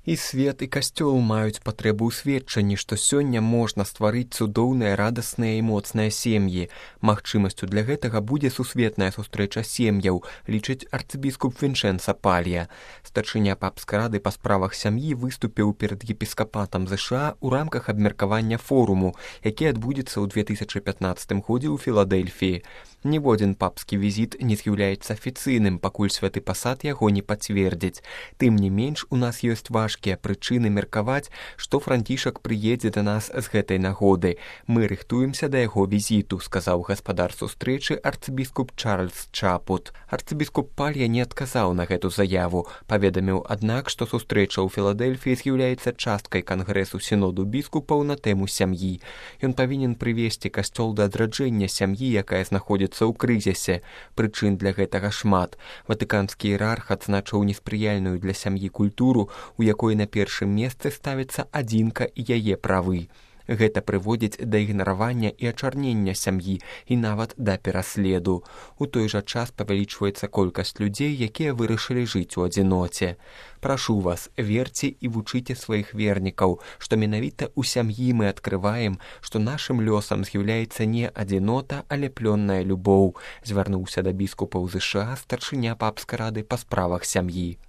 І свет, і касцёл маюць патрэбу ў сведчанні, што сёння можна стварыць цудоўныя, радасныя і моцныя сем'і. Магчымасцю для гэтага будзе сусветная сустрэча сем'яў, лічыць арцыбіскуп Вінчэнца Палья. Старшыня папскай рады па справах сям'і выступіў перад епіскапатам ЗША ў рамках абмеркавання форуму, які адбудзецца ў 2015 годзе ў Філадэльфіі. Ніводзін папскі візіт не з'яўляецца афіцыйным, пакуль святы пасад яго не пацвердзіць. Тым не менш, у нас ёсць важкія прычыны меркаваць, што Францішак прыедзе да нас з гэтай нагоды. Мы рыхтуемся да яго візіту, сказаў гаспадар сустрэчы арцыбіскуп Чарльз Чапут. Арцыбіскуп Палья не адказаў на гэту заяву. Паведаміў, аднак, што сустрэча ў Філадэльфіі з'яўляецца часткай кангрэсу сіноду біскупаў на тэму сям'і. Ён павінен прывесці касцёл да адраджэння сям'і, якая знаходзіцца ў крызісе. Прычын для гэтага шмат. Ватыканскі іерарх адзначыў неспрыяльную для сям'і культуру, у якой на першым месцы ставіцца адзінка і яе правы. Гэта прыводзіць да ігнаравання і ачарнення сям'і і нават да пераследу. У той жа час павялічваецца колькасць людзей, якія вырашылі жыць у адзіноце. Прашу вас, верце і вучыце сваіх вернікаў, што менавіта ў сям'і мы адкрываем, што нашым лёсам з'яўляецца не адзінота, але плённая любоў, звярнуўся да біскупаў ЗША старшыня папскай рады па справах сям'і.